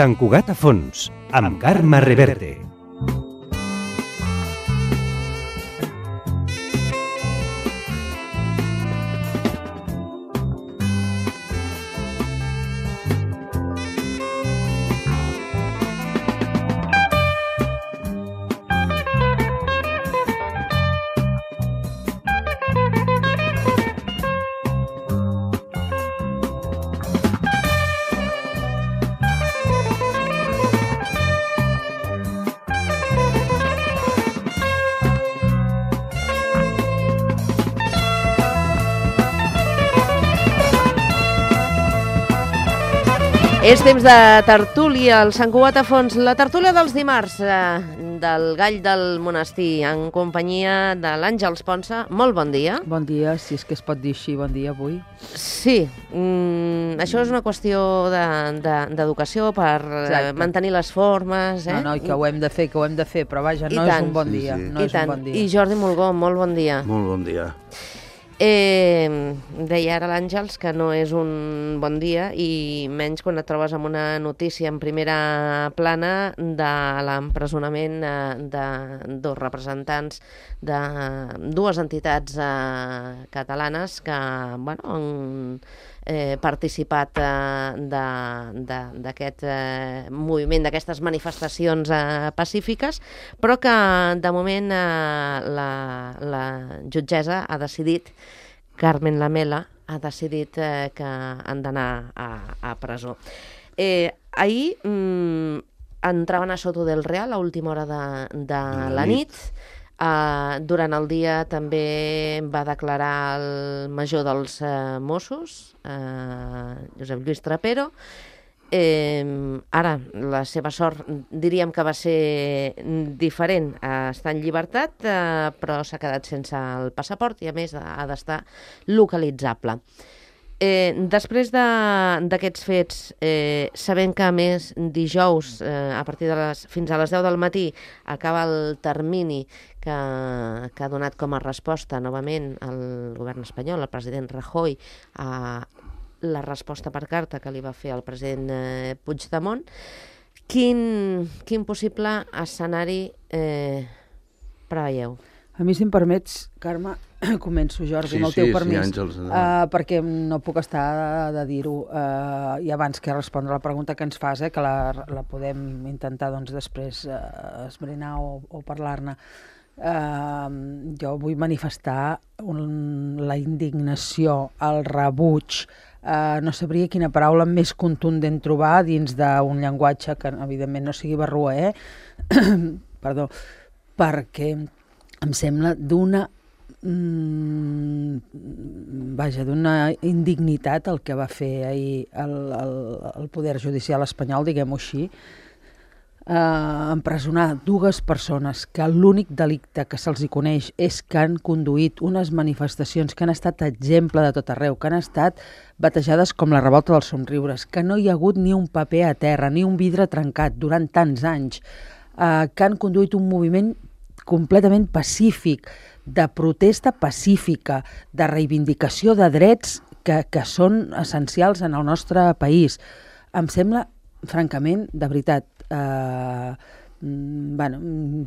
Sant Cugat a fons, amb Carme Reverte. És temps de tertúlia, al Sant Cugat a fons, la tertúlia dels dimarts del Gall del Monestir, en companyia de l'Àngels Ponsa. Molt bon dia. Bon dia, si és que es pot dir així, bon dia avui. Sí, això és una qüestió d'educació per mantenir les formes. No, i que ho hem de fer, però vaja, no és un bon dia. I Jordi Mulgó, molt bon dia. Molt bon dia. Deia ara l'Àngels que no és un bon dia, i menys quan et trobes amb una notícia en primera plana de l'empresonament de dos representants de dues entitats catalanes que han participat d'aquest moviment, d'aquestes manifestacions pacífiques, però que de moment la jutgessa ha decidit, Carmen Lamela, ha decidit que han d'anar a presó. Ahir entraven a Soto del Real a última hora de la nit. Durant el dia també va declarar el major dels Mossos, Josep Lluís Trapero. Ara, la seva sort diríem que va ser diferent. Està en llibertat, però s'ha quedat sense el passaport i a més ha d'estar localitzable. Després d'aquests fets, sabent que a més dijous, a partir fins a les 10 del matí, acaba el termini que ha donat com a resposta novament el govern espanyol, el president Rajoy, a la resposta per carta que li va fer el president Puigdemont. Quin possible escenari preveieu? A mi, si em permets, Carme, començo, Jordi, amb el teu permís, Àngels, perquè no puc estar de dir-ho, i abans que respondre la pregunta que ens fas, que la podem intentar després esbrinar o parlar-ne. Jo vull manifestar la indignació, el rebuig, no sabria quina paraula més contundent trobar dins d'un llenguatge que evidentment no sigui barroer, perdó, perquè em sembla d'una indignitat el que va fer ahir el Poder Judicial espanyol, diguem-ho així, empresonar dues persones que l'únic delicte que se'ls hi coneix és que han conduït unes manifestacions que han estat exemple de tot arreu, que han estat batejades com la revolta dels somriures, que no hi ha hagut ni un paper a terra, ni un vidre trencat durant tants anys, que han conduït un moviment completament pacífic, de protesta pacífica, de reivindicació de drets que són essencials en el nostre país. Em sembla, francament, de veritat,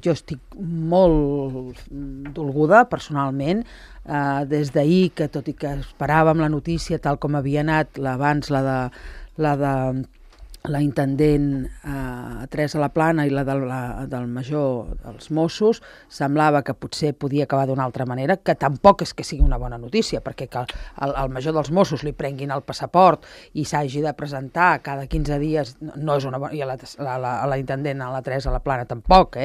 jo estic molt dolguda personalment, des d'ahir, que tot i que esperàvem la notícia tal com havia anat, abans la de la intendent Teresa Laplana i la del major dels Mossos, semblava que potser podia acabar d'una altra manera, que tampoc és que sigui una bona notícia, perquè que el major dels Mossos li prenguin el passaport i s'hagi de presentar cada 15 dies, no és una bona... I a la intendent, a la Teresa Laplana, tampoc,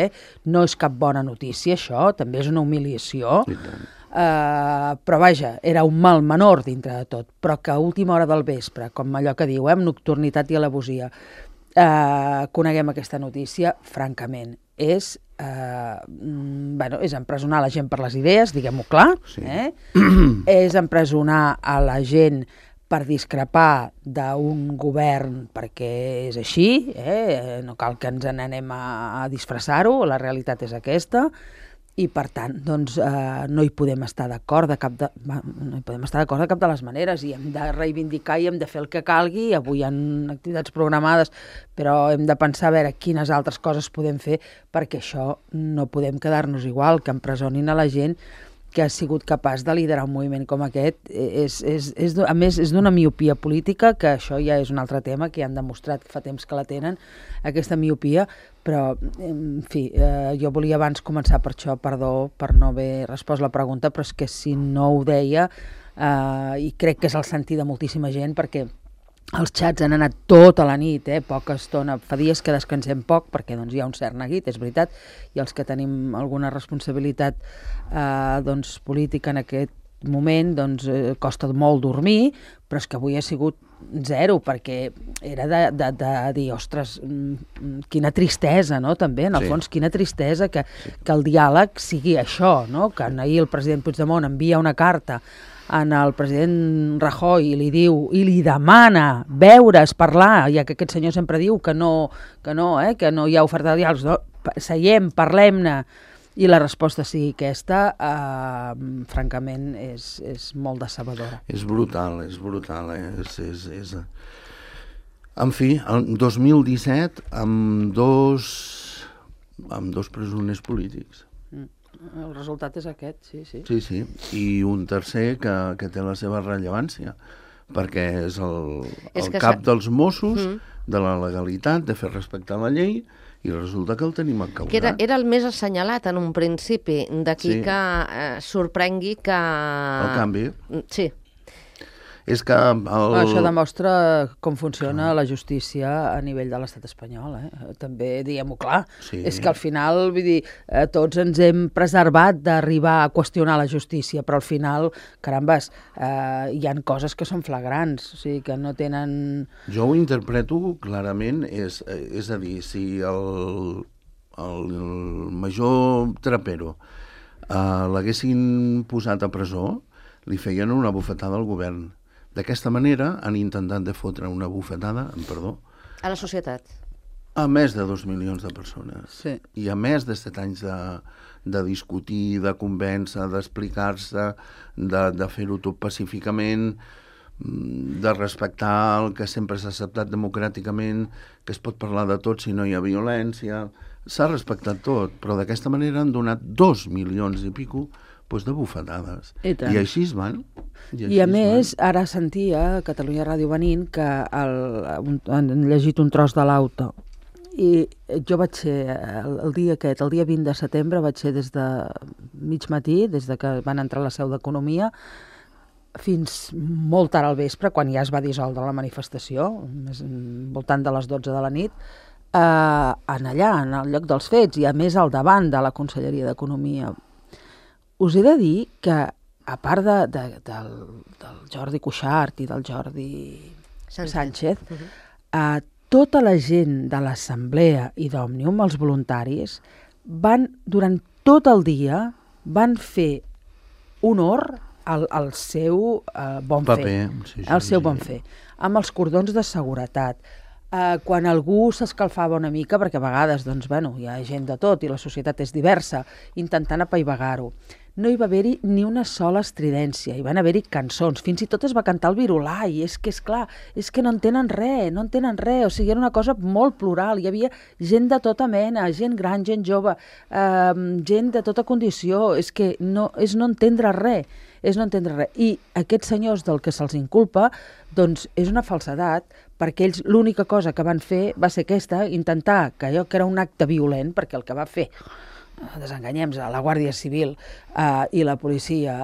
no és cap bona notícia, això, també és una humiliació. Però vaja, era un mal menor dintre de tot, però que a última hora del vespre, com allò que diu, amb nocturnitat i alevosia, coneguem aquesta notícia, francament, és empresonar la gent per les idees, diguem-ho clar, és empresonar a la gent per discrepar d'un govern, perquè és així, no cal que ens n'anem a disfressar-ho, la realitat és aquesta, i per tant doncs, no hi podem estar d'acord de cap de les maneres, i hem de reivindicar i hem de fer el que calgui. Avui hi ha activitats programades, però hem de pensar a veure quines altres coses podem fer, perquè això no podem quedar-nos igual, que empresonin a la gent que ha sigut capaç de liderar un moviment com aquest. A més, és d'una miopia política, que això ja és un altre tema, que ja han demostrat que fa temps que la tenen, aquesta miopia, però, en fi, jo volia abans començar per això, perdó per no haver respost la pregunta, però és que si no ho deia, i crec que és el sentir de moltíssima gent, perquè els xats han anat tota la nit, poca estona, fa dies que descansem poc, perquè doncs, hi ha un cert neguit, és veritat, i els que tenim alguna responsabilitat doncs, política en aquest moment, doncs, costa molt dormir, però és que avui ha sigut zero, perquè era de dir, ostres, quina tristesa, no?, també, en el fons, quina tristesa que el diàleg sigui això, no?, que ahir el president Puigdemont envia una carta en el president Rajoy i li diu, i li demana veure's, parlar, ja que aquest senyor sempre diu que no hi ha oferta de diàleg, no? Seiem, parlem-ne, i la resposta sigui aquesta, francament, és molt decebedora. És brutal, En fi, el 2017, amb dos presoners polítics. El resultat és aquest, sí. Sí, i un tercer que té la seva rellevància, perquè és el cap dels Mossos, de la legalitat, de fer respectar la llei, i resulta que el tenim encausat. Que era el més assenyalat en un principi, d'aquí que sorprengui que... El canvi. Sí. És que... Això demostra com funciona la justícia a nivell de l'estat espanyol, també diguem-ho clar. Sí. És que al final, vull dir, tots ens hem preservat d'arribar a qüestionar la justícia, però al final, carambes, hi han coses que són flagrants, o sigui, que no tenen... Jo ho interpreto clarament, és a dir, si el major Trapero l'haguessin posat a presó, li feien una bufetada al govern. D'aquesta manera han intentat de fotre una bufetada, perdó, a la societat. A més de 2 milions de persones. Sí. I a més de 7 anys de discutir, de convèncer, d'explicar-se, de fer-ho tot pacíficament, de respectar el que sempre s'ha acceptat democràticament, que es pot parlar de tot si no hi ha violència. S'ha respectat tot, però d'aquesta manera han donat 2 milions i pico de bufetades. I així es van. I a més, ara sentia a Catalunya Ràdio venint que han llegit un tros de l'auto. I jo vaig ser, el dia 20 de setembre, vaig ser des de mig matí, des de que van entrar a la seu d'Economia, fins molt tard al vespre, quan ja es va dissoldre la manifestació, voltant de les 12 de la nit, allà, en el lloc dels fets, i a més al davant de la Conselleria d'Economia. Us he de dir que, a part del Jordi Cuixart i del Jordi Sánchez, tota la gent de l'Assemblea i d'Òmnium, els voluntaris, durant tot el dia, van fer honor al seu bon fer. Al seu bon fer, amb els cordons de seguretat. Quan algú s'escalfava una mica, perquè a vegades hi ha gent de tot i la societat és diversa, intentant apaivagar-ho, no hi va haver-hi ni una sola estridència, hi van haver-hi cançons, fins i tot es va cantar el Virolai, és clar, és que no en tenen res, o sigui, era una cosa molt plural, hi havia gent de tota mena, gent gran, gent jove, gent de tota condició, és no entendre res, i aquests senyors del que se'ls inculpa, doncs és una falsedat, perquè ells l'única cosa que van fer va ser aquesta, intentar que allò que era un acte violent, perquè el que va fer, desenganyem-nos, la Guàrdia Civil i la policia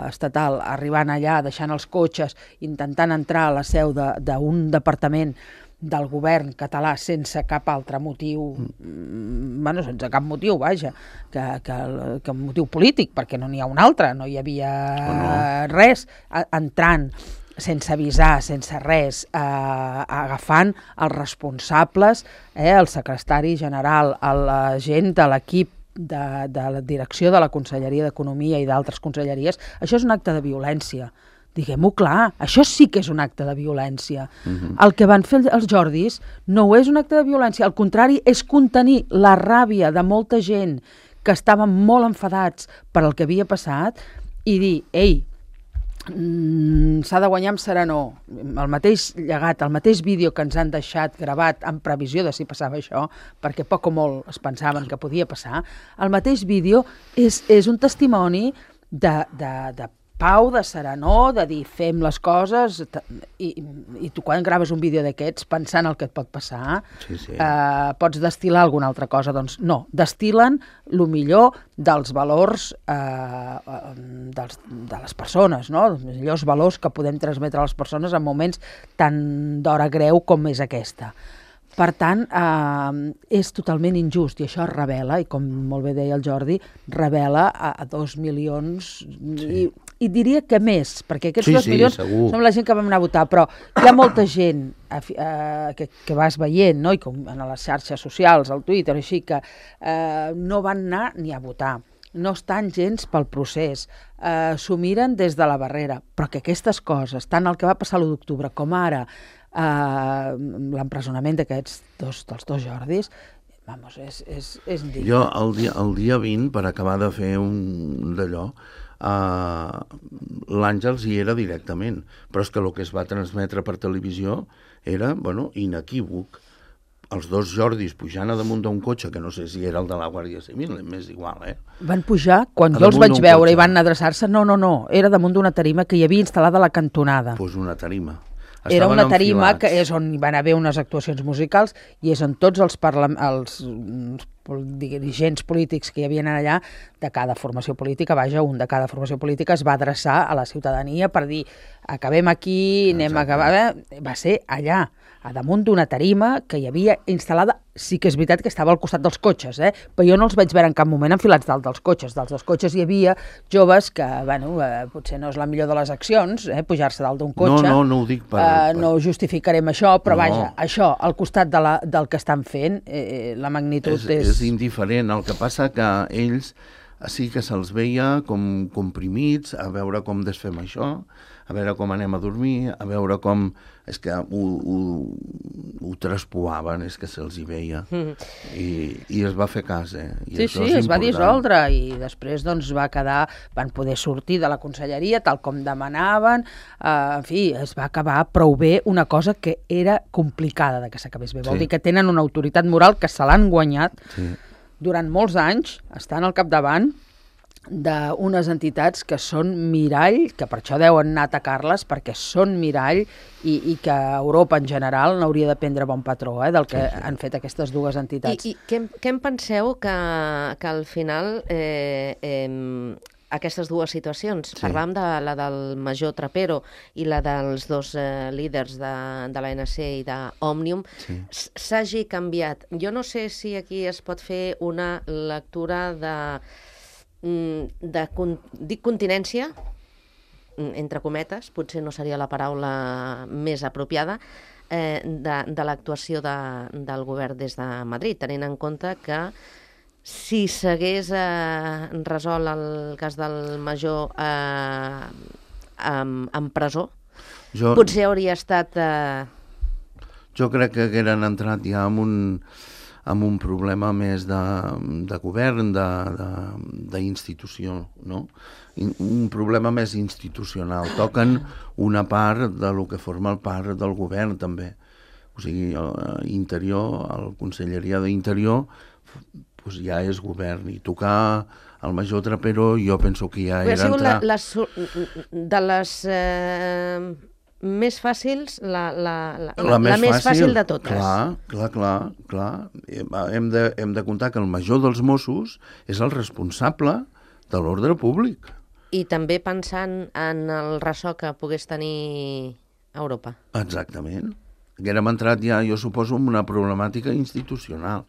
estatal arribant allà, deixant els cotxes, intentant entrar a la seu d'un departament del govern català sense cap altre motiu, sense cap motiu, vaja, que un motiu polític, perquè no n'hi ha un altre, no hi havia res, entrant sense avisar, sense res, agafant els responsables, el secretari general, la gent de l'equip de la direcció de la Conselleria d'Economia i d'altres conselleries. Això és un acte de violència. Diguem-ho clar, això sí que és un acte de violència. El que van fer els Jordis no és un acte de violència, al contrari, és contenir la ràbia de molta gent que estaven molt enfadats per el que havia passat i dir, ei, s'ha de guanyar amb serenor. El mateix llegat, el mateix vídeo que ens han deixat gravat en previsió de si passava això, perquè poc o molt es pensaven que podia passar, el mateix vídeo és un testimoni de pau, de serenor, de dir fem les coses i tu quan graves un vídeo d'aquests pensant el que et pot passar pots destil·lar alguna altra cosa, doncs no, destil·len el millor dels valors de les persones, no? Els millors valors que podem transmetre a les persones en moments tan d'hora greu com és aquesta. Per tant, és totalment injust i això revela, i com molt bé deia el Jordi, revela a 2 milions i diria que més, perquè aquests 2 milions som la gent que vam anar a votar, però hi ha molta gent que vas veient, no? I com en les xarxes socials, al Twitter, així que no van anar ni a votar. No estan gens pel procés, s'ho miren des de la barrera, però que aquestes coses, tant el que va passar l'1 d'octubre com ara l'empresonament d'aquests dels dos Jordis, vamos, és indigne. Jo el dia 20, per acabar de fer un d'allò, l'Àngels hi era directament, però és que el que es va transmetre per televisió era, bueno, inequívoc. Els 2 Jordis pujant a damunt d'un cotxe, que no sé si era el de la Guàrdia Civil, m'és igual, Van pujar, quan jo els vaig veure i van adreçar-se, no, era damunt d'una tarima que hi havia instal·lada a la cantonada. Doncs una tarima. Era una tarima que és on hi van haver unes actuacions musicals i és on tots els dirigents polítics que hi havia allà, de cada formació política, un de cada formació política es va adreçar a la ciutadania per dir, acabem aquí, anem a acabar... Va ser allà, a damunt d'una tarima que hi havia instal·lada, sí que és veritat que estava al costat dels cotxes, però jo no els vaig veure en cap moment enfilats dalt dels cotxes. Dalt dels cotxes hi havia joves que, potser no és la millor de les accions, pujar-se dalt d'un cotxe. No ho dic per... No justificarem això, però vaja, això, al costat del que estan fent, la magnitud és... És indiferent. El que passa que ells sí que se'ls veia com comprimits, a veure com desfem això, a veure com anem a dormir, a veure com... És que ho traspoaven, és que se'ls hi veia. I es va fer cas, I sí, es va dissoldre i després doncs van poder sortir de la conselleria tal com demanaven, en fi, es va acabar prou bé una cosa que era complicada de que s'acabés bé. Vol dir que tenen una autoritat moral que se l'han guanyat durant molts anys, estan al capdavant d'unes entitats que són mirall, que per això deuen anar a atacar-les, perquè són mirall i que Europa en general n'hauria de prendre bon patró del que han fet aquestes 2 entitats. I què en penseu que al final aquestes 2 situacions, parlàvem de la del major Trapero i la dels 2 líders de l'ANC i d'Òmnium, s'hagi canviat? Jo no sé si aquí es pot fer una lectura dic continència, entre cometes, potser no seria la paraula més apropiada, de l'actuació del govern des de Madrid, tenint en compte que si s'hagués resolt el cas del major en presó, potser hauria estat... Jo crec que hagueren entrat ja amb un problema més de govern, d'institució, no? Un problema més institucional. Toquen una part de lo que forma el part del govern, també. O sigui, Interior, la Conselleria d'Interior, doncs ja és govern. I tocar el major Trapero, jo penso que ja era entrar... De les... més fàcils, la més fàcil de totes. Clar. Hem de comptar que el major dels Mossos és el responsable de l'ordre públic. I també pensant en el ressò que pogués tenir Europa. Exactament. Haguérem entrat ja, jo suposo, en una problemàtica institucional.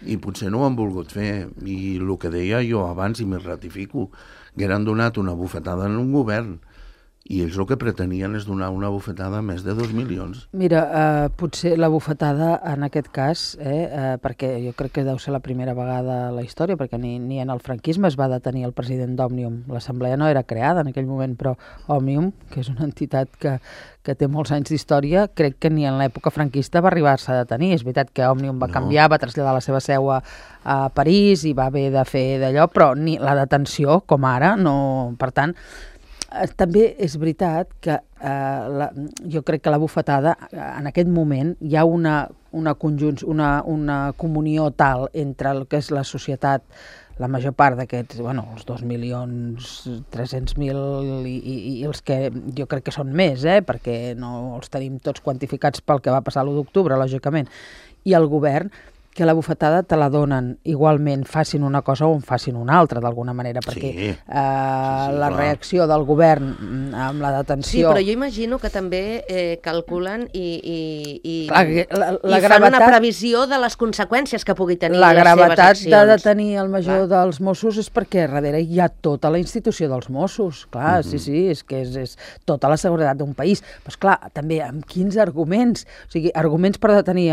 I potser no ho han volgut fer. I el que deia jo abans, i m'hi ratifico, hagueren donat una bufetada en un govern. I ells el que pretenien és donar una bufetada a més de 2 milions. Mira, potser la bufetada en aquest cas, perquè jo crec que deu ser la primera vegada a la història, perquè ni en el franquisme es va detenir el president d'Òmnium. L'assemblea no era creada en aquell moment, però Òmnium, que és una entitat que té molts anys d'història, crec que ni en l'època franquista va arribar-se a detenir. És veritat que Òmnium va canviar, va traslladar la seva seu a París i va haver de fer d'allò, però ni la detenció, com ara, no... Per tant, també és veritat que jo crec que la bufetada, en aquest moment, hi ha una comunió tal entre el que és la societat, la major part d'aquests, els 2.300.000 i els que jo crec que són més, perquè no els tenim tots quantificats pel que va passar l'1 d'octubre, lògicament, i el govern, que la bufetada te la donen igualment, facin una cosa o en facin una altra, d'alguna manera, perquè la reacció del govern amb la detenció... Sí, però jo imagino que també calculen i la fan una previsió de les conseqüències que pugui tenir la les seves gravetat accions. De detenir el major dels Mossos és perquè darrere hi ha tota la institució dels Mossos, clar, sí, és que és tota la seguretat d'un país. Però, esclar, també amb quins arguments? O sigui, arguments per detenir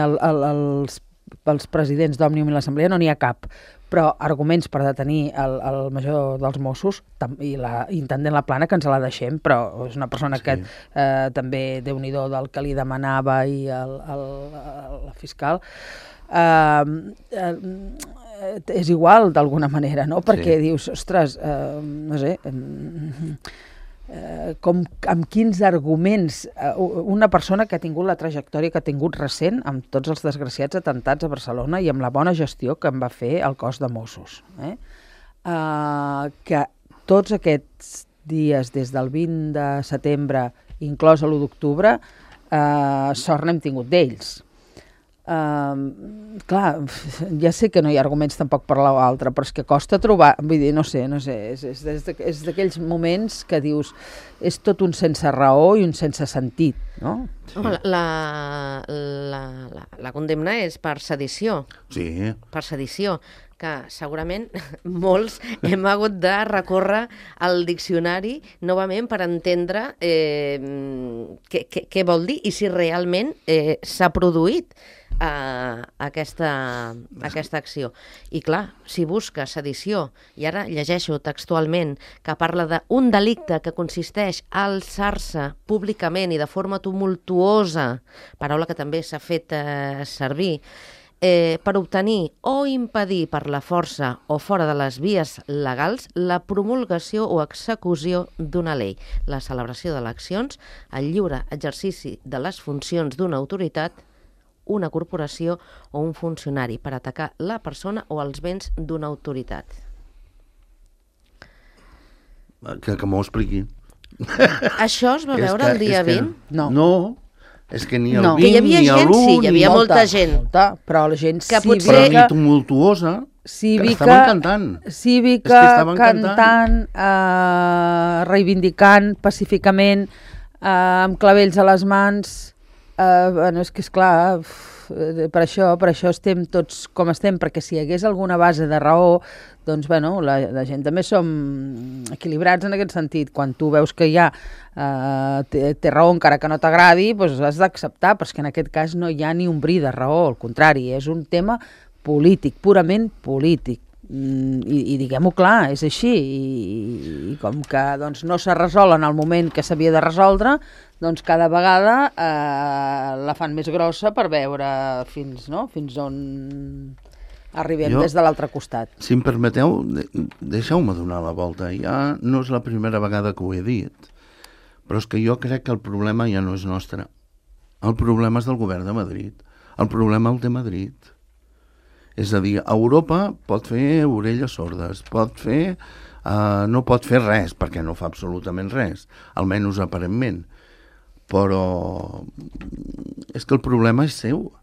els presidents d'Òmnium i l'Assemblea no n'hi ha cap, però arguments per detenir el major dels Mossos i l'intendent La Plana, que ens la deixem, però és una persona que també, Déu-n'hi-do, del que li demanava i la fiscal, és igual d'alguna manera, no? Perquè dius, ostres, no sé... amb quins arguments una persona que ha tingut la trajectòria que ha tingut recent amb tots els desgraciats atentats a Barcelona i amb la bona gestió que en va fer el cos de Mossos, que tots aquests dies des del 20 de setembre inclòs l'1 d'octubre sort n'hem tingut d'ells. Clar, ja sé que no hi ha arguments tampoc per l'altre, però és que costa trobar, vull dir, no sé, és d'aquells moments que dius és tot un sense raó i un sense sentit, no? Home, la condemna és per sedició. Sí. Per sedició, que segurament molts hem hagut de recórrer al diccionari novament per entendre què vol dir i si realment s'ha produït aquesta acció. I clar, si busca sedició, i ara llegeixo textualment que parla d'un delicte que consisteix a alçar-se públicament i de forma tumultuosa, paraula que també s'ha fet servir, per obtenir o impedir per la força o fora de les vies legals la promulgació o execució d'una llei, la celebració d'eleccions, el lliure exercici de les funcions d'una autoritat, una corporació o un funcionari per atacar la persona o els béns d'una autoritat. Que m'ho expliqui. Això es va veure el dia 20? No, és que ni el 20 que hi havia ni gent, l'1... sí, hi havia molta gent. Però la gent que cívica... potser... Però ni tumultuosa, que estaven cantant. Cívica, cantant, reivindicant pacíficament, amb clavells a les mans... és que, esclar, per això estem tots com estem, perquè si hi hagués alguna base de raó, doncs, la gent també som equilibrats en aquest sentit. Quan tu veus que ja té raó encara que no t'agradi, doncs has d'acceptar, però és que en aquest cas no hi ha ni un bri de raó, al contrari, és un tema polític, purament polític. I diguem-ho clar, és així, i com que no s'ha resolt en el moment que s'havia de resoldre, doncs cada vegada la fan més grossa per veure fins on arribem des de l'altre costat. Si em permeteu, deixeu-me donar la volta. Ja no és la primera vegada que ho he dit, però és que jo crec que el problema ja no és nostre. El problema és del govern de Madrid. El problema el té Madrid. És a dir, Europa pot fer orelles sordes, no pot fer res, perquè no fa absolutament res, almenys aparentment. Però és que el problema és seu.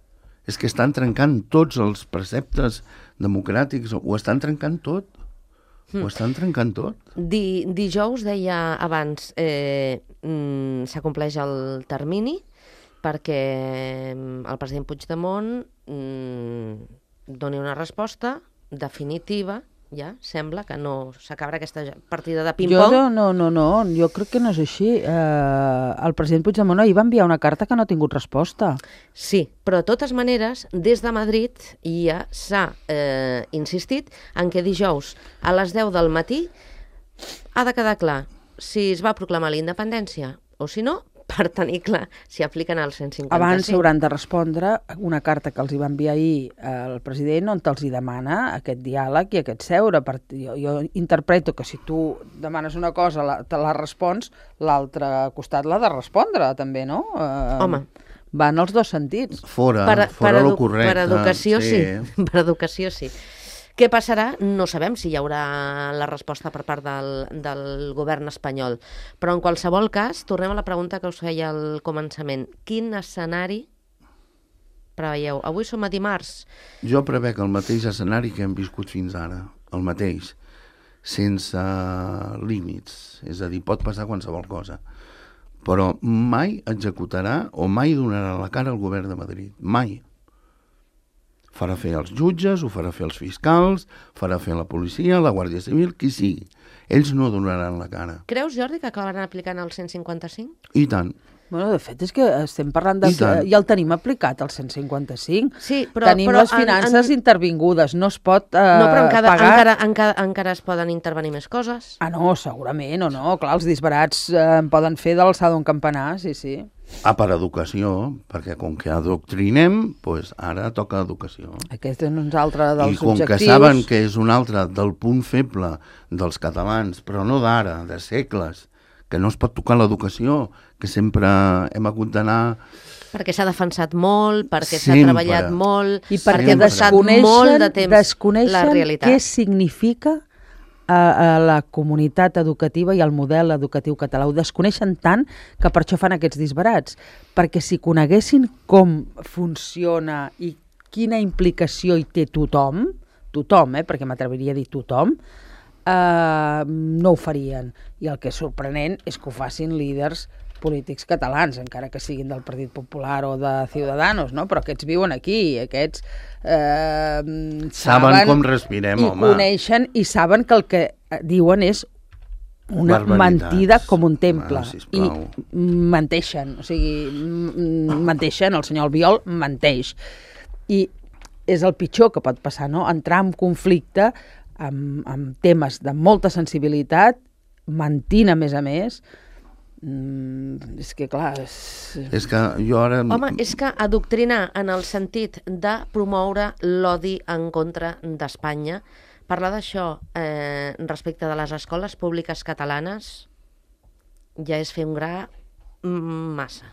És que estan trencant tots els preceptes democràtics, ho estan trencant tot. Ho estan trencant tot. Dijous, deia abans, s'acompleix el termini perquè el president Puigdemont doni una resposta definitiva ja sembla que no s'acabarà aquesta partida de ping-pong. No, jo crec que no és així. El president Puigdemont ahir va enviar una carta que no ha tingut resposta. Sí, però de totes maneres, des de Madrid ja s'ha insistit en que dijous a les 10 del matí ha de quedar clar si es va proclamar la independència o si no, per tenir clar si apliquen el 155. Abans s'hauran de respondre una carta que els hi va enviar ahir el president on els hi demana aquest diàleg i aquest seure. Jo interpreto que si tu demanes una cosa, te la respons, l'altre costat l'ha de respondre també, no? Home. Va en els dos sentits. Fora lo correcte. Per educació sí. Per educació sí. Què passarà? No sabem si hi haurà la resposta per part del govern espanyol. Però en qualsevol cas, tornem a la pregunta que us feia al començament. Quin escenari preveieu? Avui som a dimarts. Jo prevec el mateix escenari que hem viscut fins ara, el mateix, sense límits. És a dir, pot passar qualsevol cosa. Però mai executarà o mai donarà la cara al govern de Madrid. Mai. Farà fer els jutges, ho farà fer els fiscals, farà fer la policia, la Guàrdia Civil, qui sigui. Ells no donaran la cara. Creus, Jordi, que acabaran aplicant el 155? I tant. Bueno, de fet, és que estem parlant de... Ja el tenim aplicat, el 155. Sí, però... Tenim les finances intervingudes, no es pot no, però pagar... encara es poden intervenir més coses. Ah, no, segurament, o no. Clar, els disbarats poden fer de l'alçada d'un campanar, sí. Per educació, perquè com que adoctrinem, doncs ara toca educació. Aquest és un altre dels objectius. I com que saben que és un altre del punt feble dels catalans, però no d'ara, de segles, que no es pot tocar l'educació, que sempre hem hagut d'anar... Perquè s'ha defensat molt, perquè s'ha treballat molt, i perquè desconeixen la realitat. Què significa a la comunitat educativa i al model educatiu català. Ho desconeixen tant que per això fan aquests disbarats. Perquè si coneguessin com funciona i quina implicació hi té tothom, perquè m'atreviria a dir tothom, no ho farien. I el que és sorprenent és que ho facin líders polítics catalans, encara que siguin del Partit Popular o de Ciudadanos, no? Però aquests viuen aquí, aquests saben com respirem, home. I coneixen i saben que el que diuen és una mentida com un temple. I menteixen, o sigui, menteixen, el senyor Albiol menteix. I és el pitjor que pot passar, no? Entrar en conflicte amb temes de molta sensibilitat, mentint a més, és que clar... És que jo ara... Home, és que adoctrinar en el sentit de promoure l'odi en contra d'Espanya, parlar d'això respecte de les escoles públiques catalanes ja és fer un gra massa.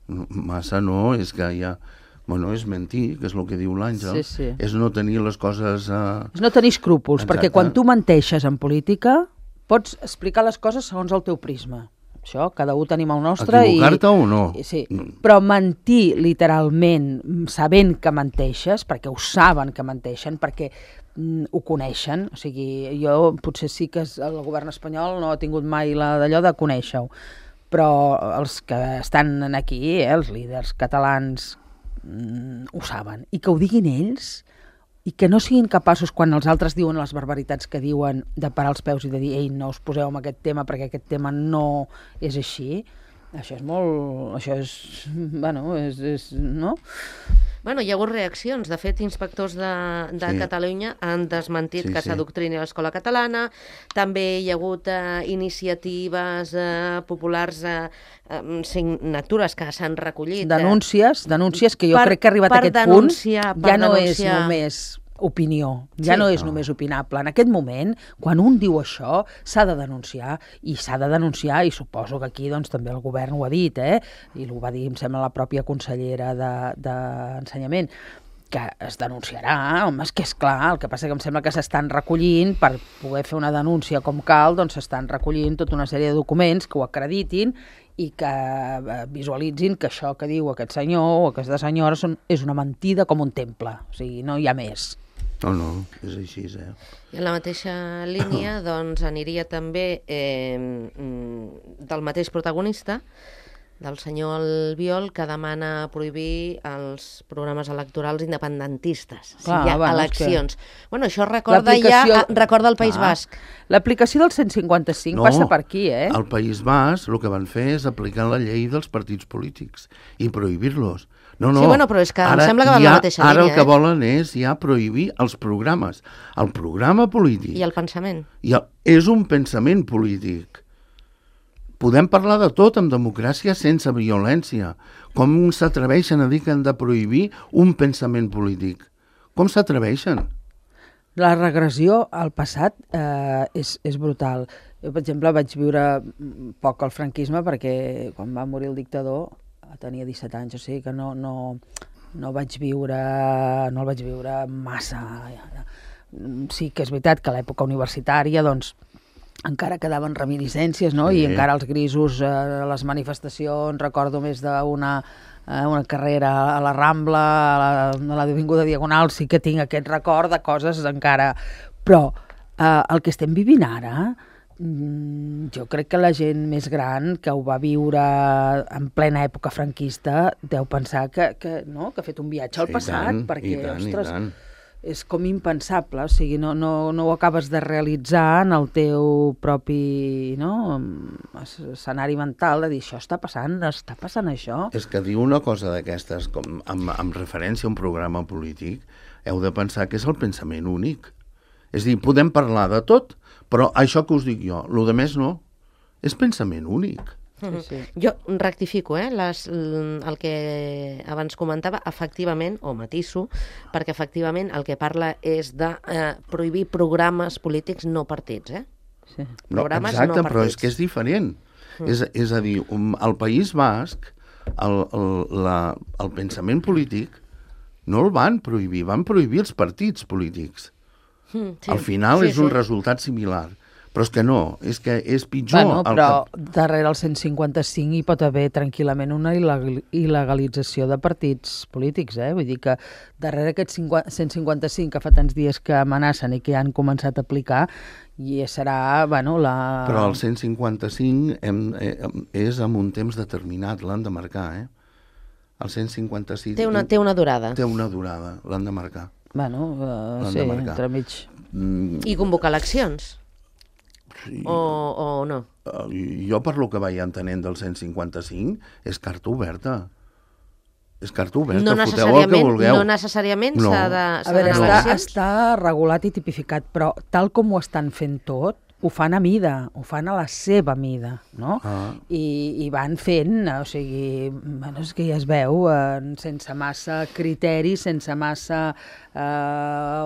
Massa no, és que ja... Bueno, és mentir, que és el que diu l'Àngel. Sí. És no tenir les coses... És no tenir escrúpols, exacte. Perquè quan tu menteixes en política pots explicar les coses segons el teu prisma. Això, cada un tenim el nostre. Equivocar-te o no? Sí, però mentir literalment sabent que menteixes, perquè ho saben que menteixen, perquè ho coneixen, o sigui, jo potser sí que el govern espanyol no ha tingut mai d'allò de conèixer-ho, però els que estan aquí, els líders catalans, ho saben. I que ho diguin ells i que no siguin capaços, quan els altres diuen les barbaritats que diuen, de parar els peus i de dir, ei, no us poseu en aquest tema perquè aquest tema no és així, això és molt... Això és... Bueno, no? Bueno, hi ha hagut reaccions. De fet, inspectors de sí. Catalunya han desmentit que s'adoctrini l'escola catalana. També hi ha hagut iniciatives populars, signatures que s'han recollit. Denúncies que jo crec que ha arribat a aquest punt. Ja no és només opinió, ja no és només opinable. En aquest moment, quan un diu això, s'ha de denunciar, i suposo que aquí doncs, també el govern ho ha dit, i ho va dir, em sembla, la pròpia consellera d'Ensenyament, que es denunciarà, home, és que és clar, el que passa que em sembla que s'estan recollint, per poder fer una denúncia com cal, doncs s'estan recollint tota una sèrie de documents que ho acreditin i que visualitzin que això que diu aquest senyor o aquesta senyora és una mentida com un temple, o sigui, no hi ha més. No, és així, I en la mateixa línia, doncs, aniria també del mateix protagonista, del senyor Albiol, que demana prohibir els programes electorals independentistes, si hi ha eleccions. Bueno, això recorda el País Basc. L'aplicació del 155 passa per aquí, Al País Basc el que van fer és aplicar la llei dels partits polítics i prohibir-los. No, sí, bueno, però és que em sembla que va en la mateixa línia. Ara el que volen és ja prohibir els programes. El programa polític... I el pensament. És un pensament polític. Podem parlar de tot amb democràcia sense violència. Com s'atreveixen a dir que han de prohibir un pensament polític? Com s'atreveixen? La regressió al passat és brutal. Jo, per exemple, vaig viure poc el franquisme perquè quan va morir el dictador tenia 17 anys, o sigui que no el vaig viure massa. Sí que és veritat que a l'època universitària doncs encara quedaven reminiscències, no? I encara els grisos, les manifestacions, recordo més d'una carrera a la Rambla, a l'Avinguda Diagonal, sí que tinc aquest record de coses encara. Però el que estem vivint ara, jo crec que la gent més gran que ho va viure en plena època franquista deu pensar que ha fet un viatge al passat, perquè, ostres, és com impensable, o sigui, no ho acabes de realitzar en el teu propi escenari mental, de dir, això està passant això. És que dir una cosa d'aquestes, com amb referència a un programa polític, heu de pensar que és el pensament únic. És a dir, podem parlar de tot, però això que us dic jo, el de més no, és pensament únic. Sí. Jo rectifico, el que abans comentava, efectivament, o matiso, perquè efectivament el que parla és de prohibir programes polítics no partits, Sí. Programes exacte, no partits. Però és que és diferent. És a dir, al País Basc, el pensament polític no el van prohibir, van prohibir els partits polítics. Sí. Al final és un resultat similar. Però és que no, és que és pitjor. Bueno, però darrere el 155 hi pot haver tranquil·lament una il·legalització de partits polítics, Vull dir que darrere aquest 155 que fa tants dies que amenacen i que han començat a aplicar, i serà, Però el 155 és en un temps determinat, l'han de marcar, El 156... Té una durada. Té una durada, l'han de marcar. Sí, entremig. I convocar eleccions? Sí. O no? Jo, per lo que vaig entenent del 155, és carta oberta. És carta oberta, foteu el que vulgueu. No necessàriament s'ha d'anar a eleccions? Està regulat i tipificat, però tal com ho estan fent tot, ho fan a mida, ho fan a la seva mida, no? I van fent, o sigui, és que ja es veu, sense massa criteri, sense massa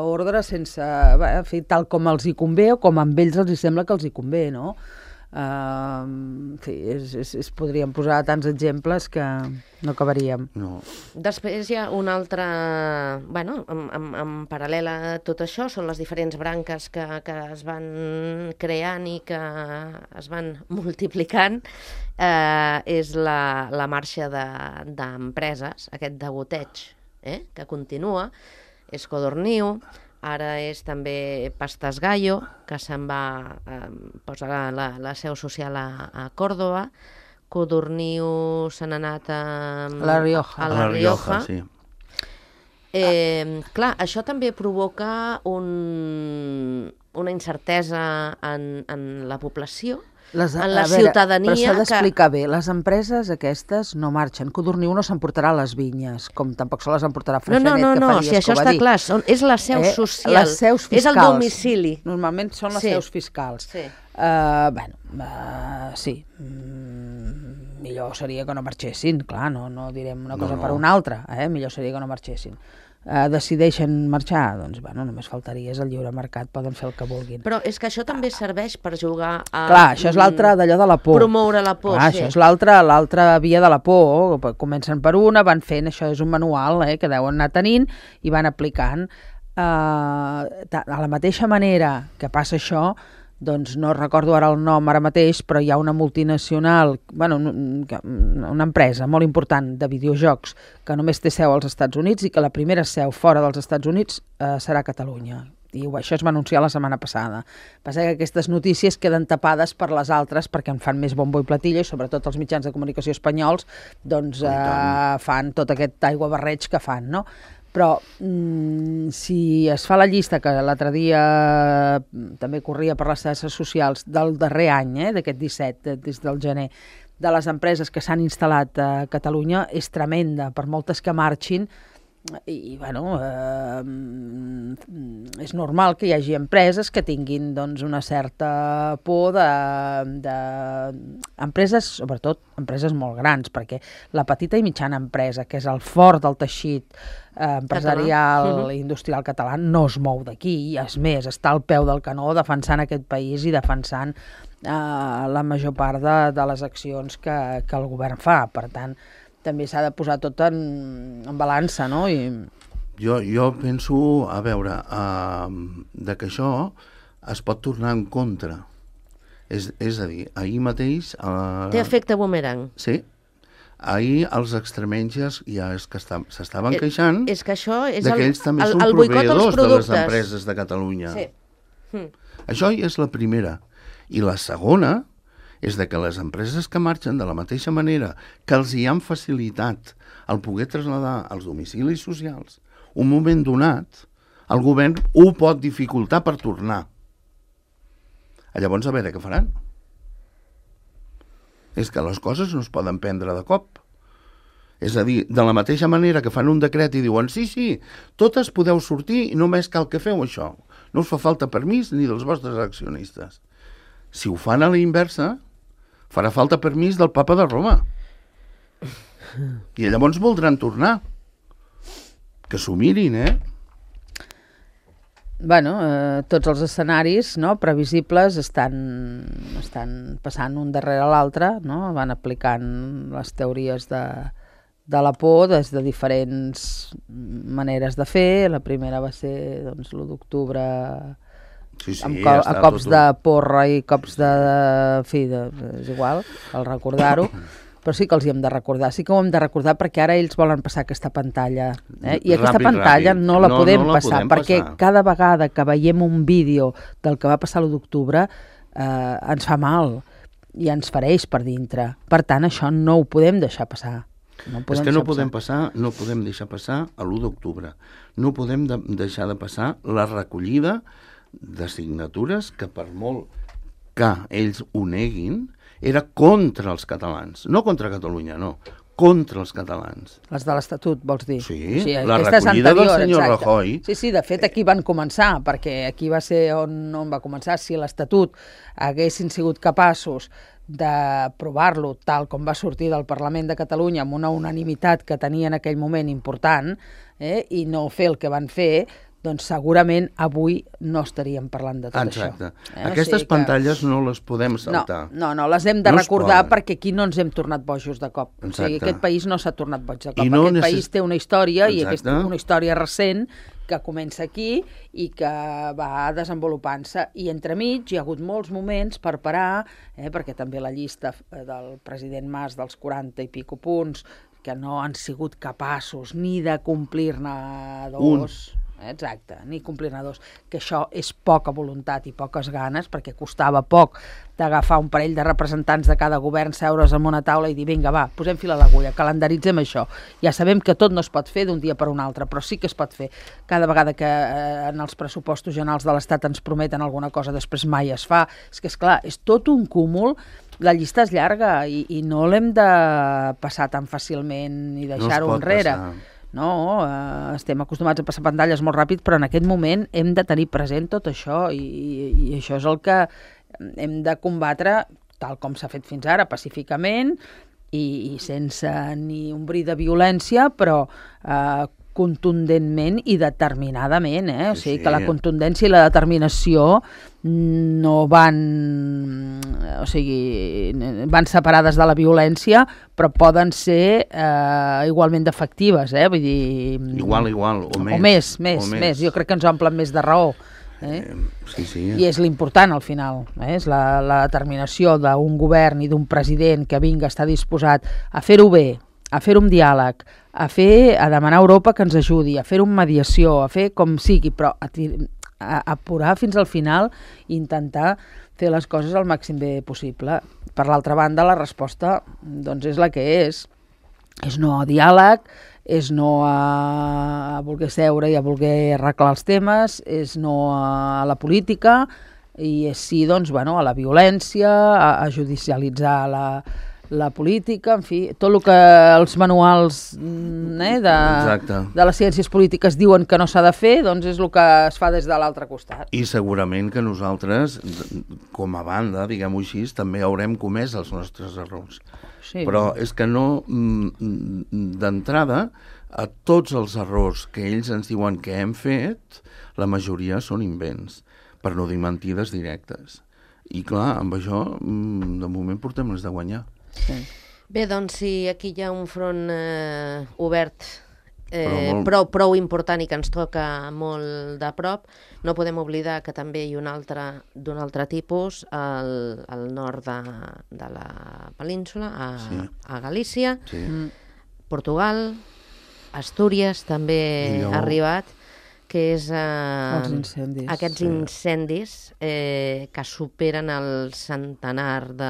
ordre, sense, en fi, tal com els hi convé o com a ells els sembla que els hi convé, no? En fi, podríem posar tants exemples que no acabaríem. No. Després hi ha un altre... en paral·lel a tot això són les diferents branques que es van creant i que es van multiplicant. És la marxa d'empreses, aquest degoteig que continua, és Codorniu. Ara és també Pastas Gallo, que se'n va posar la seu social a Còrdova. Codorniu se n'ha anat a La Rioja. A La Rioja, sí. Clar, això també provoca una incertesa en la població, en la ciutadania. Però s'ha d'explicar bé, les empreses aquestes no marxen. Codorniu no s'emportarà les vinyes, com tampoc se les emportarà Freixenet, no, si això està clar, és la seu social, les seus fiscals. És el domicili. Normalment són les seus fiscals. Sí. Sí, millor seria que no marxessin, clar, no direm una cosa per una altra, millor seria que no marxessin. Decideixen marxar, doncs, només faltaria, és el lliure mercat, poden fer el que vulguin. Però és que això també serveix per jugar a... Clar, això és l'altre d'allò de la por. Promoure la por, sí. Això és l'altra via de la por. Comencen per una, van fent, això és un manual que deuen anar tenint i van aplicant. De la mateixa manera que passa això, doncs no recordo ara el nom ara mateix, però hi ha una multinacional, una empresa molt important de videojocs que només té seu als Estats Units i que la primera seu fora dels Estats Units serà a Catalunya. I això es va anunciar la setmana passada. Passa que aquestes notícies queden tapades per les altres perquè en fan més bombo i platilla, i sobretot els mitjans de comunicació espanyols doncs, fan tot aquest aiguabarreig que fan, no? Però si es fa la llista, que l'altre dia també corria per les xarxes socials, del darrer any, d'aquest 17, des del gener, de les empreses que s'han instal·lat a Catalunya, és tremenda, per moltes que marxin. I bueno, és normal que hi hagi empreses que tinguin doncs, una certa por de empreses, sobretot empreses molt grans, perquè la petita i mitjana empresa, que és el fort del teixit empresarial i industrial català, no es mou d'aquí, i és més, està al peu del canó defensant aquest país i defensant la major part de les accions que el govern fa. Per tant, també s'ha de posar tot en balança, no? Jo penso, a veure, de que això es pot tornar en contra. És a dir, ahir mateix... Té efecte boomerang. Sí. Ahir els extremenys ja és que s'estaven queixant és que això és que ells també són proveïdors de les empreses de Catalunya. Sí. Això ja és la primera. I la segona és de que les empreses que marxen de la mateixa manera que els hi han facilitat el poder traslladar als domicilis socials un moment donat, el govern ho pot dificultar per tornar. Llavors, a veure què faran. És que les coses no es poden prendre de cop. És a dir, de la mateixa manera que fan un decret i diuen sí, totes podeu sortir i només cal que feu això. No us fa falta permís ni dels vostres accionistes. Si ho fan a la inversa, farà falta permís del papa de Roma. I llavors voldran tornar. Que s'ho mirin, Bueno, tots els escenaris previsibles estan passant un darrere l'altre, no? Van aplicant les teories de la por des de diferents maneres de fer. La primera va ser l'1 d'octubre... Sí, a cops de porra i cops és igual, al recordar-ho, però sí que els hi hem de recordar, sí que ho hem de recordar perquè ara ells volen passar aquesta pantalla, i aquesta pantalla no la podem passar, perquè cada vegada que veiem un vídeo del que va passar l'1 d'octubre ens fa mal i ens fereix per dintre. Per tant, això no ho podem deixar passar. És que no podem deixar passar l'1 d'octubre, no podem deixar de passar la recollida de signatures que, per molt que ells ho neguin, era contra els catalans. No contra Catalunya, no. Contra els catalans. Les de l'Estatut, vols dir? Sí, la recollida del senyor Rajoy. Sí, de fet, aquí van començar, perquè aquí va ser on va començar. Si l'Estatut haguessin sigut capaços d'aprovar-lo tal com va sortir del Parlament de Catalunya amb una unanimitat que tenia en aquell moment important, i no fer el que van fer, doncs segurament avui no estaríem parlant de tot això. Exacte. Aquestes pantalles no les podem saltar. No, les hem de recordar perquè aquí no ens hem tornat bojos de cop. Exacte. O sigui, aquest país no s'ha tornat boig de cop. Aquest país té una història, i aquesta una història recent que comença aquí i que va desenvolupant-se. I entremig hi ha hagut molts moments per parar, perquè també la llista del president Mas dels 40 i pico punts, que no han sigut capaços ni de complir-ne dos... Exacte, ni complir-ne dos, que això és poca voluntat i poques ganes, perquè costava poc d'agafar un parell de representants de cada govern, seure's en una taula i dir, vinga, va, posem fil a l'agulla, calendaritzem això. Ja sabem que tot no es pot fer d'un dia per un altre, però sí que es pot fer. Cada vegada que en els pressupostos generals de l'Estat ens prometen alguna cosa, després mai es fa. És que, esclar, és tot un cúmul, la llista és llarga i no l'hem de passar tan fàcilment i deixar-ho enrere. No, estem acostumats a passar pantalles molt ràpid, però en aquest moment hem de tenir present tot això i això és el que hem de combatre tal com s'ha fet fins ara, pacíficament i sense ni un bri de violència, però contundentment i determinadament, o sigui que la contundència i la determinació no van, o sigui, van separades de la violència, però poden ser igualment efectives, vull dir... Igual, o més. O més. Jo crec que ens omplen més de raó. Sí. I és l'important al final, és la determinació d'un govern i d'un president que vinga, està disposat a fer-ho bé, a fer-ho amb diàleg, a demanar a Europa que ens ajudi, a fer-ho amb mediació, a fer com sigui, però apurar fins al final i intentar fer les coses el màxim bé possible. Per l'altra banda, la resposta doncs, és la que és. És no a diàleg, és no a voler seure i a voler arreglar els temes, és no a la política i és sí doncs, bueno, a la violència, a judicialitzar la política, en fi, tot el que els manuals de les ciències polítiques diuen que no s'ha de fer, doncs és el que es fa des de l'altre costat. I segurament que nosaltres, com a banda, diguem-ho així, també haurem comès els nostres errors. Sí. Però és que no, d'entrada, a tots els errors que ells ens diuen que hem fet, la majoria són invents, per no dir mentides directes. I clar, amb això, de moment portem les de guanyar. Sí. Bé, doncs, si aquí hi ha un front obert prou important i que ens toca molt de prop, no podem oblidar que també hi ha un altre d'un altre tipus al nord de la península, a Galícia, Portugal, Astúries també ha arribat, que és aquests incendis que superen el centenar de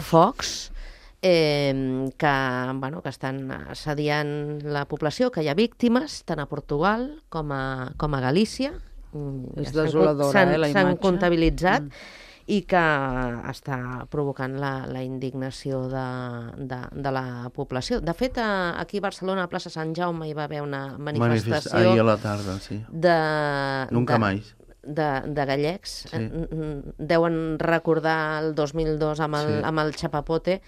focs que estan assediant la població, que hi ha víctimes tant a Portugal com a Galícia. És desoladora, la imatge. S'han comptabilitzat i que està provocant la indignació de la població. De fet, aquí a Barcelona, a plaça Sant Jaume, hi va haver una manifestació... Ahir a la tarda, sí. Nunca més. De gallecs. Sí. Deuen recordar el 2002 amb el Chapapote,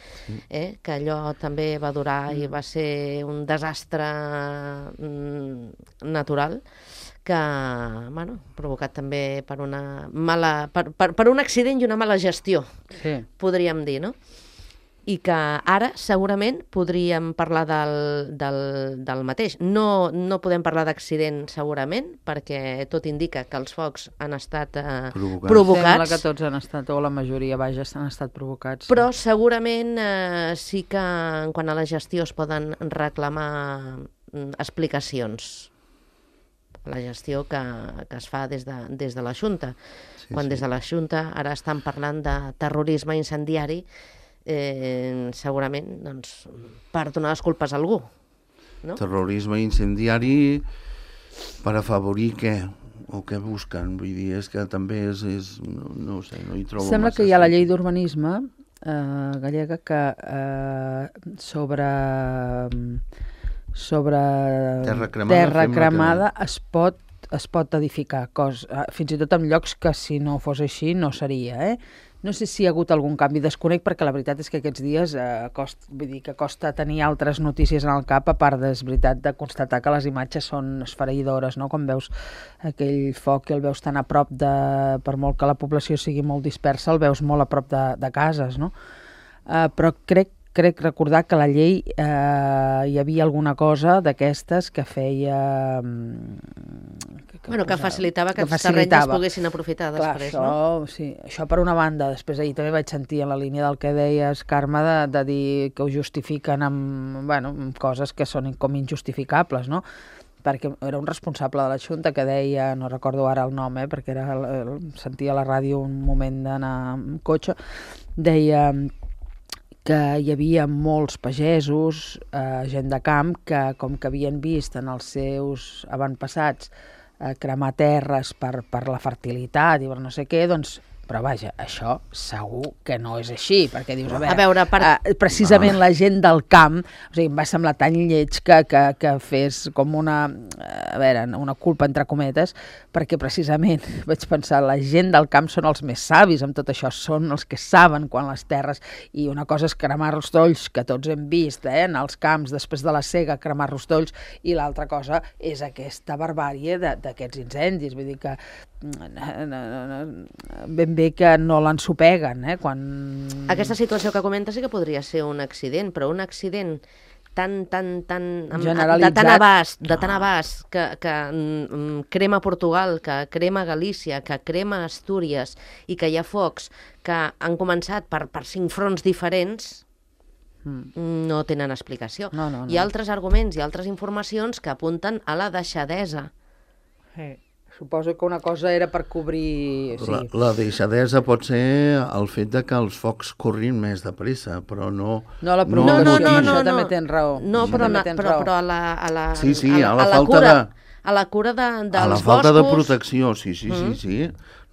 que allò també va durar i va ser un desastre natural que, provocat també per per un accident i una mala gestió, podríem dir, no? I que ara segurament podríem parlar del mateix. No podem parlar d'accident segurament, perquè tot indica que els focs han estat provocats. Sembla que tots han estat, o la majoria, han estat provocats. Però segurament sí que en quant a la gestió es poden reclamar explicacions. La gestió que es fa des de la Junta. Quan des de la Junta ara estan parlant de terrorisme incendiari, segurament per donar les culpes a algú. Terrorisme incendiari per afavorir què? O què busquen? Vull dir, és que també és no ho sé, no hi trobo massa. Sembla que hi ha la llei d'urbanisme gallega que sobre terra cremada es pot edificar, fins i tot en llocs que si no fos així no seria, No sé si hi ha hagut algun canvi, desconec, perquè la veritat és que aquests dies costa tenir altres notícies en el cap, a part és veritat de constatar que les imatges són esfereïdores, no? Quan veus aquell foc i el veus tan a prop per molt que la població sigui molt dispersa, el veus molt a prop de cases, no? Però crec recordar que a la llei hi havia alguna cosa d'aquestes que feia... que facilitava que els terrenys es poguessin aprofitar després, no? Sí, això per una banda. Després ahir també vaig sentir en la línia del que deies, Carme, de dir que ho justifiquen amb coses que són com injustificables, no? Perquè era un responsable de la Junta que deia, no recordo ara el nom, perquè sentia a la ràdio un moment d'anar amb cotxe, deia que hi havia molts pagesos, gent de camp, que com que havien vist en els seus avantpassats cremar terres per la fertilitat i per no sé què, doncs... Però vaja, això segur que no és així, perquè dius, precisament la gent del camp, o sigui, em va semblar tan lleig que fes com una culpa entre cometes, perquè precisament vaig pensar, la gent del camp són els més savis amb tot això, són els que saben quan les terres, i una cosa és cremar rostolls, que tots hem vist en els camps després de la sega, cremar rostolls, i l'altra cosa és aquesta barbàrie d'aquests incendis, vull dir que ben bé que no l'ensopeguen, quan... Aquesta situació que comenta sí que podria ser un accident, però un accident de tan abast que crema Portugal, que crema Galícia, que crema Astúries i que hi ha focs que han començat per 5 fronts diferents, no tenen explicació. No. Hi ha altres arguments i altres informacions que apunten a la deixadesa Suposo que una cosa era per cobrir... Sí. La deixadesa pot ser el fet de que els focs corrin més de pressa, però no... No, la provocació, no, això també tens raó. No, Això també tens raó. però a la Sí, a la la falta cura, de... a la cura dels boscos... A la falta de protecció, sí.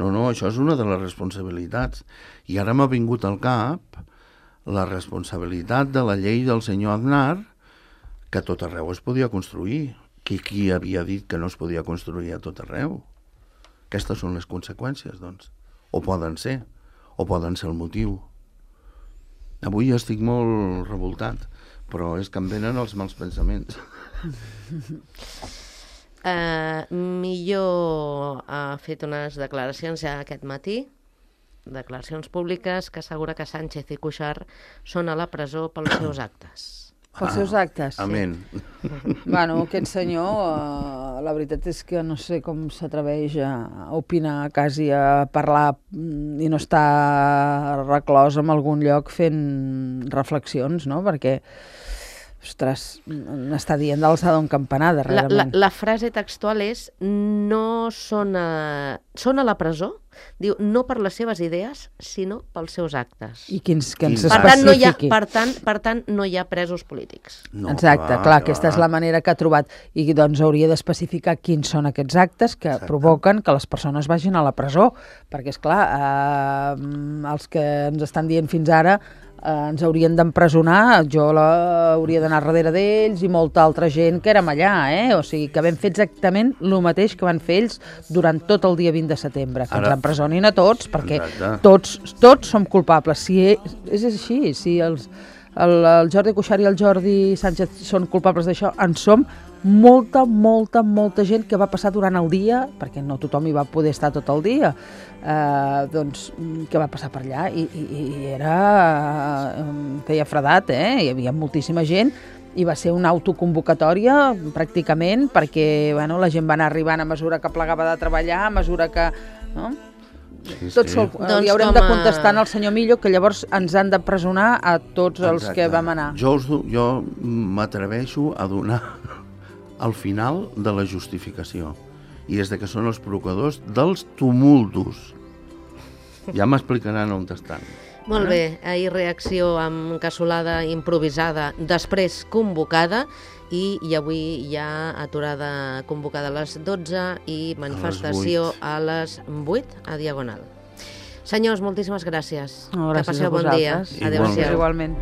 No, això és una de les responsabilitats. I ara m'ha vingut al cap la responsabilitat de la llei del senyor Aznar, que a tot arreu es podia construir. Qui havia dit que no es podia construir a tot arreu? Aquestes són les conseqüències, doncs. O poden ser el motiu. Avui estic molt revoltat, però és que em venen els mals pensaments. Millo ha fet unes declaracions ja aquest matí, declaracions públiques que assegura que Sánchez i Cuixart són a la presó pels seus actes. Pels seus actes. Amén. Bueno, aquest senyor, la veritat és que no sé com s'atreveix a opinar, quasi a parlar i no està reclòs en algun lloc fent reflexions, no? Perquè, ostres, n'està dient d'alçada un campanar, darrerament. La frase textual és són a la presó, diu, no per les seves idees, sinó pels seus actes. I que ens especifiqui. Per tant, no hi ha presos polítics. No, exacte, clar, aquesta és la manera que ha trobat. I doncs hauria d'especificar quins són aquests actes que provoqen que les persones vagin a la presó. Perquè, esclar, els que ens estan dient fins ara ens haurien d'empresonar, jo hauria d'anar darrere d'ells i molta altra gent que érem allà, O sigui, que vam fer exactament el mateix que van fer ells durant tot el dia 20 de setembre, que ens empresonin a tots, perquè tots som culpables. Si és així, si el Jordi Cuixart i el Jordi Sánchez són culpables d'això, en som molta gent que va passar durant el dia, perquè no tothom hi va poder estar tot el dia, doncs, que va passar per allà i feia fredat, hi havia moltíssima gent i va ser una autoconvocatòria pràcticament perquè la gent va anar arribant a mesura que plegava de treballar, a mesura que... No? Sí. Li haurem de contestar al senyor Millo que llavors ens han de presonar a tots els que vam anar. Jo m'atreveixo a donar al final de la justificació, i és que són els provocadors dels tumultos. Ja m'explicaran on estan. Molt bé, ahir reacció amb cassolada improvisada, després convocada, i avui hi ha aturada convocada a les 12 i manifestació a les 8 a Diagonal. Senyors, moltíssimes gràcies. Gràcies que passeu bon dia. Adéu-siau. Igualment.